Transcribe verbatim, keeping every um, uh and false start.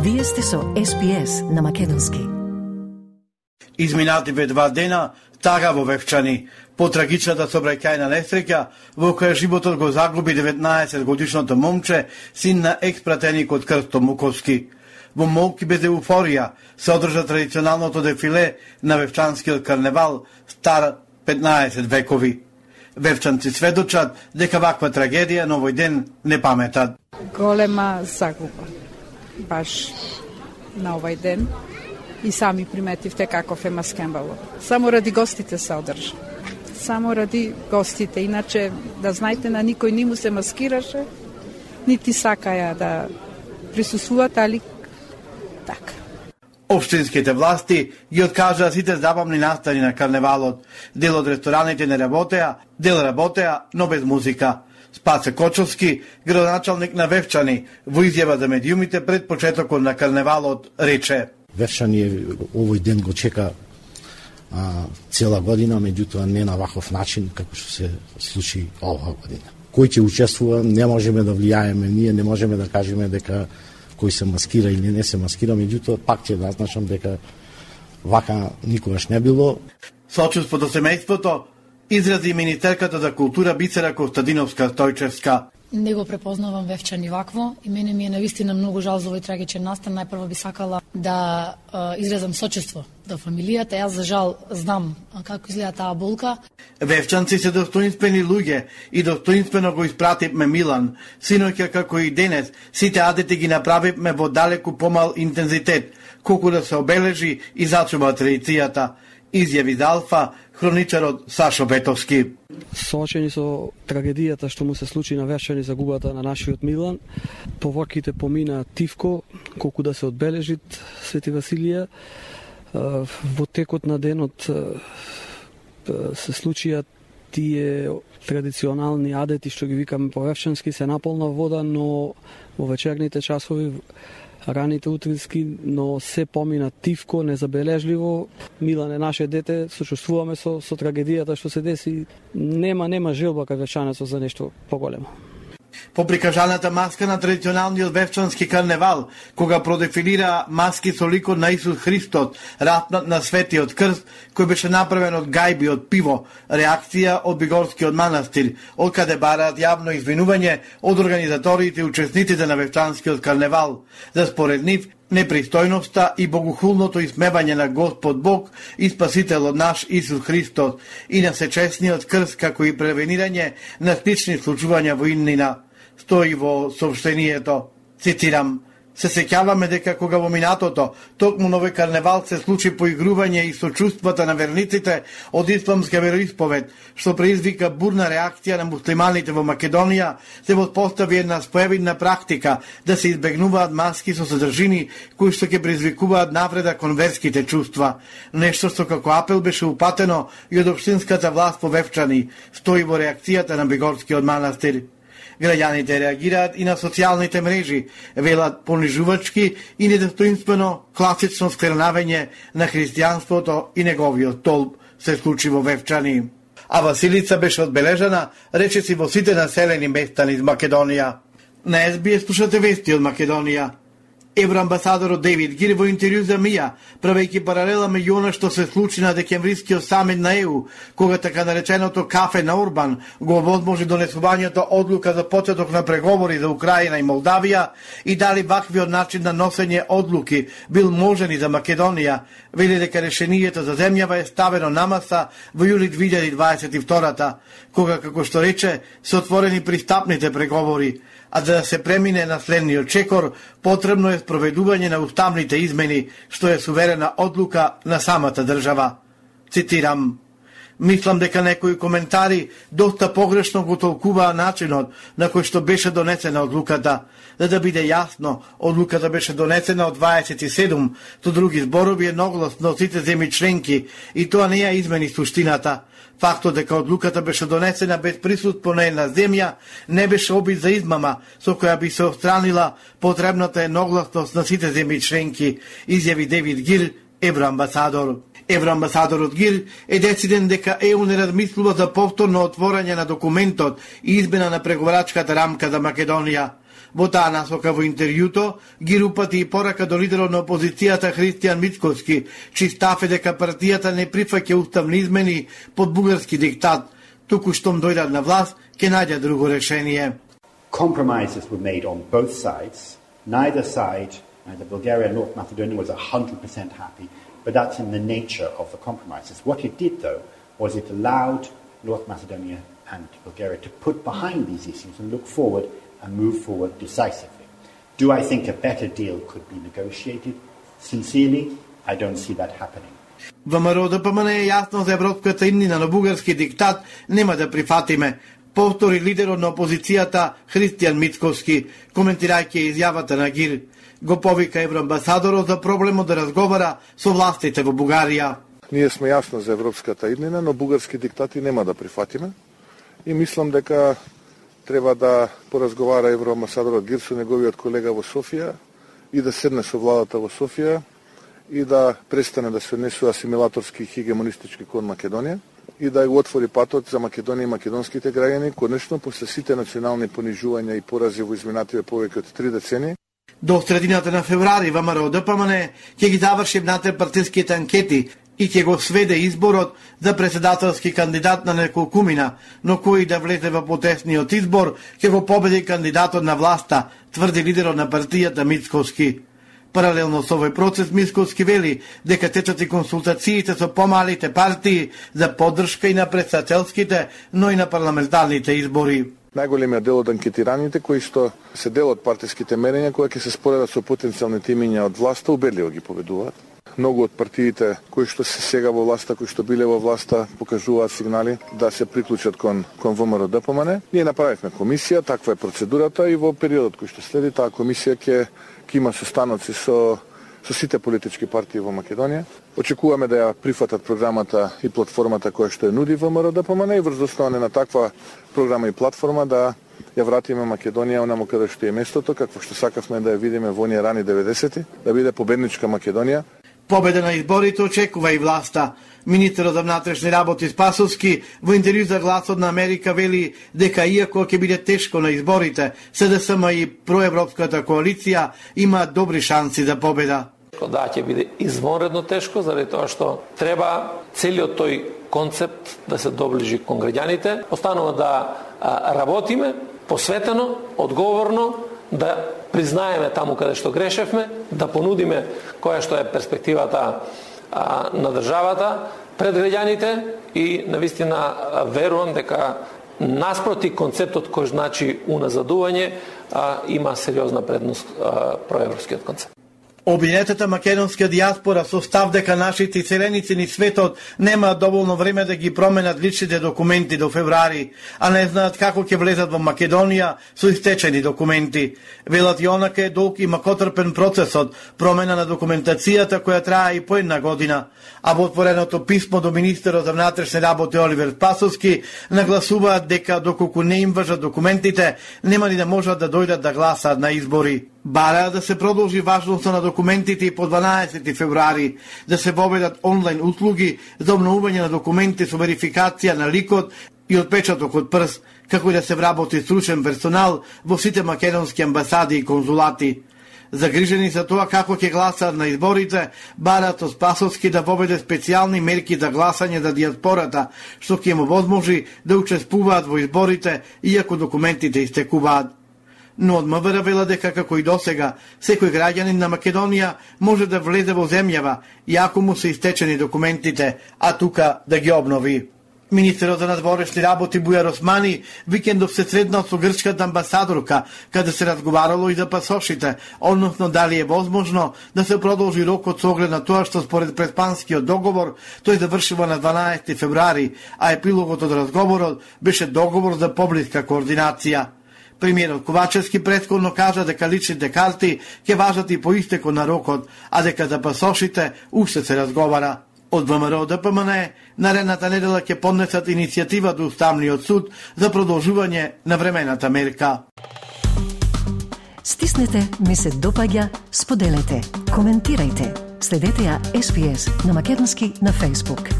Вие сте со Ес Би Ес на македонски. Изминативе два дена тага во Вевчани, по трагичната сообраќајна несреќа во која животот го загуби деветнаесет годишното момче, син на екс-пратеникот Крсто Муковски. Во молки без еуфорија се одржа традиционалното дефиле на Вевчанскиот карневал, стар петнаесет векови. Вевчанци сведочат дека ваква трагедија на овој ден не паметат. Голема загуба, баш на овој ден. И сами приметивте каков е маскембалот. Само ради гостите се одржа. Само ради гостите. Иначе, да знаете, на никој ни му се маскираше, нити сакаја да присуствуваат, али така. Општинските власти ги откажаа сите забавни настани на карневалот. Дел од рестораните не работеа, дел работеа, но без музика. Спасе Кочовски, градоначалник на Вевчани, во изјава за медиумите пред почетокот на карневалот, рече: Вевчани овој ден го чека а, цела година, меѓутоа не на ваков начин како што се случи оваа година. Кој ќе учествува, не можеме да влијаеме, ние не можеме да кажеме дека кој се маскира или не се маскира, меѓутоа пак ќе да значам дека вака никогаш не било. Сочувство до семејството изрази министерката за култура Бисера Костадиновска-Стојчевска. Не го препознавам Вевчани вакво и мене ми е навистина многу жал за овој трагичен настан. Најпрво би сакала да е, изразам сочувство до фамилијата. Јас за жал знам како изгледа таа болка. Вевчанци се достоинствени луѓе и достоинствено го испративме Милан. Синоќа како и денес, сите адети ги направивме во далеку помал интензитет, колку да се обележи и зачува традицијата. Изјави за Алфа хроничарот Сашо Бетовски. Соочени со трагедијата што му се случи на Вевчани, загубата на нашиот Милан, поворките помина тивко, колку да се одбележит Свети Василија. Во текот на денот се случија тие традиционални адети што ги викаме по вевчански, се наполна вода, но во вечерните часови, раните утрински, но се помина тивко, незабележливо. Милан е наше дете, сочувствуваме со, со трагедијата што се деси. Нема, нема желба кај вевчанецот за нешто поголемо. По прикажаната маска на традиционалниот вевчански карневал, кога продефилира маски со ликот на Исус Христос, ратнат на Светиот Крст, кој беше направен од гајби од пиво, реакција од Бигорскиот манастир, од каде бараат јавно извинување од организаторите и учесниците на вевчанскиот карневал, за според нив непристојноста и богохулното исмевање на Господ Бог и Спасителот наш Исус Христос и на сечесниот крст, како и превенирање на слични случувања во иднина. Стои во сообщението, цитирам: се сеќаваме дека кога во минатото, токму на овој карневал се случи поигрување и сочувствата на верниците од исламска вероисповед, што предизвика бурна реакција на муслиманите во Македонија, се воспостави една споевидна практика да се избегнуваат маски со содржини кои што ќе предизвикуваат навреда кон верските чувства. Нешто што како апел беше упатено и од општинската власт во Вевчани, стои во реакцијата на Бигорскиот манастир. Граѓаните реагираат и на социјалните мрежи, велат понижувачки и недостоинствено класично скрнавење на христијанството и неговиот толб се случи во Вевчани. А Василица беше одбележана, речиси во сите населени места низ Македонија. На Ес Би Ес слушате вести од Македонија. Евроамбасадорот Дейвид Гир во интервју за Мија, правејќи паралела меѓу она што се случи на декемврискиот самит на Е У, кога така нареченото кафе на Орбан го овозможи донесувањето одлука за почеток на преговори за Украина и Молдавија, и дали ваквиот начин на носење одлуки бил можен и за Македонија, вели дека решението за земјава е ставено на маса во јули две илјади дваесет и втора, кога, како што рече, се отворени пристапните преговори, а за да се премине на следниот чекор, потребно е спроведување на уставните измени, што е суверена одлука на самата држава. Цитирам: мислам дека некои коментари доста погрешно го толкуваа начинот на кој што беше донесена одлуката. За да биде јасно, одлуката беше донесена од дваесет и седум, со други зборови едногласно од сите земји членки, и тоа не ја измени суштината. Фактот дека одлуката беше донесена без присуство на една земја не беше обид за измама со која би се отстранила потребната едногласност на сите земји членки, изјави Дейвид Гир, евроамбасадор. Евроамбасадорот Гир е дециден дека Е У не размислува за повторно отворање на документот и измена на преговарачката рамка за Македонија. Во таа насока во интервјуто ги рупати и порака до лидерот на опозицијата Христијан Мицкоски, чиј став е дека партијата не прифаќа уставни измени под бугарски диктат, туку штом дојдат на власт, ќе најде друго решение. Compromises were made on both sides. Neither side, neither Bulgaria nor North Macedonia, was one hundred percent happy, but that's in the nature of the compromises. What it did, though, was it allowed North Macedonia and Bulgaria to put behind these issues and look forward and move forward decisively. Do I think a better deal could be negotiated? Sincerely, I don't see that happening. ВМРО Д П М Н е јасно за европската иднина на бугарски диктат нема да прифатиме, повтори лидерот на опозицијата Христијан Мицкоски, коментирајќи изјавата на ГИР. Го повика евроамбасадорот за проблемот да разговара со властите во Бугарија. Ние сме јасно за европската иднина, но бугарски диктати нема да прифатиме. И мислам дека треба да поразговара евроамбасадорот ГИР со неговиот колега во Софија и да седне со владата во Софија и да престане да се однесува асимилаторски и хегемонистички кон Македонија и да го отвори патот за Македонија и македонските граѓани, конечно после сите национални понижувања и порази во изминативе повеќе од три децении. До средината на февруари ВМРО Д П М Н ќе ги заврши внатре-партиските анкети и ќе го сведе изборот за председателски кандидат на неколкумина, но кој да влезе во потесниот избор ќе го победи кандидатот на власта, тврди лидерот на партијата Мицкоски. Паралелно со овој процес Мицкоски вели дека течат и консултациите со помалите партии за поддршка и на председателските, но и на парламентарните избори. Најголемиот дел од анкетираните кои што се дел од партиските мерења кои ќе се споредат со потенцијалните имиња од власта, убедливо ги победуваат. Многу од партиите кои што се сега во власта, кои што биле во власта, покажуваат сигнали да се приклучат кон кон ВМРО Д П М Н. Ние направивме комисија, таква е процедурата и во периодот кој што следи таа комисија ќе ќе има состаноци со со сите политички партии во Македонија. Очекуваме да ја прифатат програмата и платформата која што ја нуди ВМРО Д П М Н и врз основа на таква програма и платформа да ја вратиме Македонија онаму каде што е местото, какво што сакавме да ја видиме во оние рани деветдесети, да биде победничка Македонија. Победа на изборите очекува и власта. Министерот за внатрешни работи Спасовски во интервју за Гласот на Америка вели дека иако ќе биде тешко на изборите, С Д С М и проевропската коалиција има добри шанси за победа. Да, ќе биде извонредно тешко, заради тоа што треба целиот тој концепт да се доближи кон граѓаните. Останува да а, работиме посветено, одговорно, да признаеме таму каде што грешевме, да понудиме која што е перспективата а, на државата пред граѓаните и навистина верувам дека наспроти концептот кој значи уназадување а, има сериозна предност а, проевропскиот концепт. Обвинетата македонска дијаспора со став дека нашите иселеници ни светот немаат доволно време да ги променат личните документи до февруари, а не знаат како ќе влезат во Македонија со истечени документи. Велат и онака е долг и макотрпен процесот, промена на документацијата која трае и по една година. А во отвореното писмо до министерот за внатрешни работи Оливер Спасовски нагласуваат дека доколку не им важат документите, нема ни да можат да дојдат да гласаат на избори. Бараат да се продолжи важноста на документите и по дванаесети февруари, да се воведат онлайн услуги за обновување на документи со верификација на ликот и отпечаток од прст, како и да се вработи стручен персонал во сите македонски амбасади и конзулати. Загрижени за тоа како ќе гласаат на изборите, бараат од Спасовски да воведе специјални мерки за гласање за дијаспората, што ќе му возможи да учествуваат во изборите, иако документите истекуваат. Но од МВР вела дека како и досега, секој граѓанин на Македонија може да влезе во земјава, иако му се истечени документите, а тука да ги обнови. Министерот за надворешни работи Бујар Османи викендов се среднал со грчката амбасадорка, каде се разговарало и за пасошите, односно дали е возможно да се продолжи рокот со оглед на тоа што според предпанскиот договор тој завршува на дванаесети февруари, а епилогот од разговорот беше договор за поблиска координација. Премиерот Ковачевски претходно кажа дека личните карти ќе важат и по истекот на рокот, а дека за пасошите уште се разговара. Од ВМРО Д П М Н наредната недела ќе поднесат иницијатива до Уставниот суд за продолжување на времената мерка. Стиснете, ми се допаѓа, споделете, коментирајте. Следете ја Ес Би Ес на македонски на Facebook.